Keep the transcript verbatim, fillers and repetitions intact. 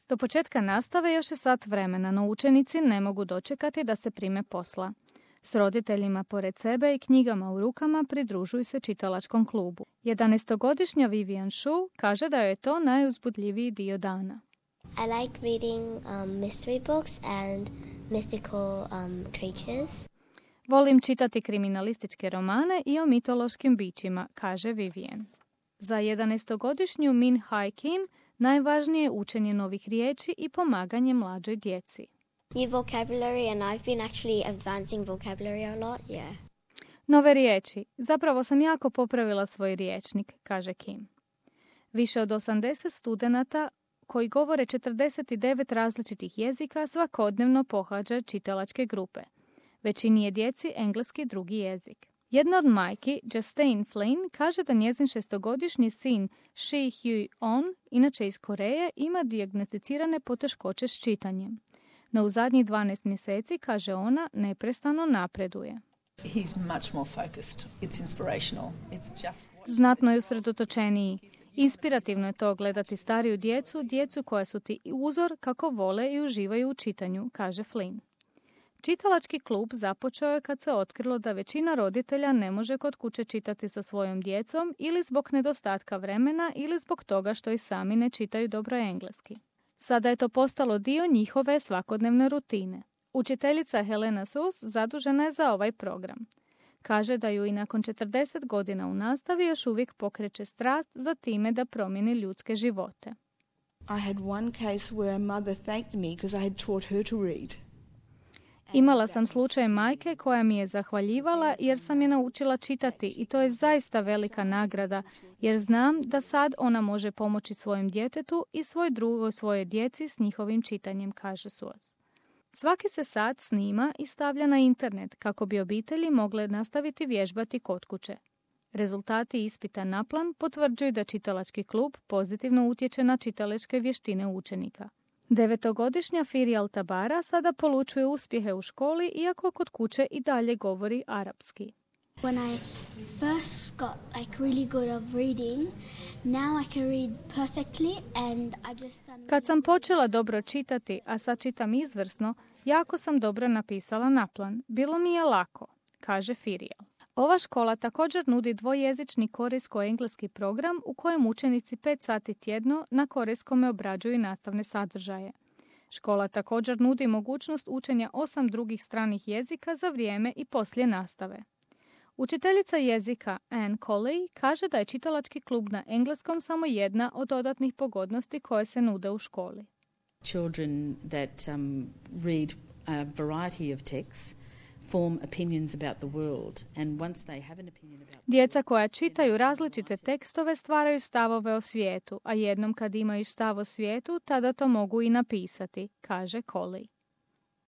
Do početka nastave još je sat vremena, no učenici ne mogu dočekati da se prime posla. S roditeljima pored sebe i knjigama u rukama pridružuju se čitalačkom klubu. jedanaestogodišnja Vivian Shu kaže da je to najuzbudljiviji dio dana. I like reading um, mystery books and mythical um, creatures. Volim čitati kriminalističke romane i o mitološkim bićima, kaže Vivian. Za jedanaestogodišnju Min Hai Kim najvažnije je učenje novih riječi i pomaganje mlađoj djeci. New vocabulary and I've been actually advancing vocabulary a lot, yeah. Nove riječi. Zapravo sam jako popravila svoj riječnik, kaže Kim. Više od osamdeset studenata koji govore četrdeset devet različitih jezika svakodnevno pohađa čitalačke grupe. Većini je djeci engleski drugi jezik. Jedna od majki, Justine Flynn, kaže da njezin šestogodišnji sin Shi Hyu-on, inače iz Koreje, ima dijagnosticirane poteškoće s čitanjem. No u zadnjih dvanaest mjeseci, kaže ona, neprestano napreduje. He's much more focused. It's inspirational. It's just... Znatno je usredotočeniji. Inspirativno je to gledati stariju djecu, djecu koja su ti uzor kako vole i uživaju u čitanju, kaže Flynn. Čitalački klub započeo je kad se otkrilo da većina roditelja ne može kod kuće čitati sa svojom djecom ili zbog nedostatka vremena ili zbog toga što i sami ne čitaju dobro engleski. Sada je to postalo dio njihove svakodnevne rutine. Učiteljica Helena Sus zadužena je za ovaj program. Kaže da ju i nakon četrdeset godina u nastavi još uvijek pokreće strast za time da promijeni ljudske živote. I had one case where a mother thanked me because I had taught her to read. Imala sam slučaj majke koja mi je zahvaljivala jer sam je naučila čitati i to je zaista velika nagrada jer znam da sad ona može pomoći svojem djetetu i svoj drugoj svojoj djeci s njihovim čitanjem, kaže Sus. Svaki se sat snima i stavlja na internet kako bi obitelji mogle nastaviti vježbati kod kuće. Rezultati ispita na plan potvrđuju da čitalački klub pozitivno utječe na čitalačke vještine učenika. Devetogodišnja Firial Tabara sada polučuje uspjehe u školi, iako kod kuće i dalje govori arapski. When I first got like really good of reading, now I can read perfectly and I just Kad sam počela dobro čitati, a sad čitam izvrsno, jako sam dobro napisala naplan. Bilo mi je lako, kaže Firial. Ova škola također nudi dvojezični korejsko-engleski program u kojem učenici pet sati tjedno na korejskome obrađuju nastavne sadržaje. Škola također nudi mogućnost učenja osam drugih stranih jezika za vrijeme i poslije nastave. Učiteljica jezika Anne Colley kaže da je čitalački klub na engleskom samo jedna od dodatnih pogodnosti koje se nude u školi. Children that um, read a variety of texts form opinions about the world and once they have an opinion about Djeca koja čitaju različite tekstove stvaraju stavove o svijetu, a jednom kad imaju stav o svijetu, tada to mogu i napisati, kaže Colley.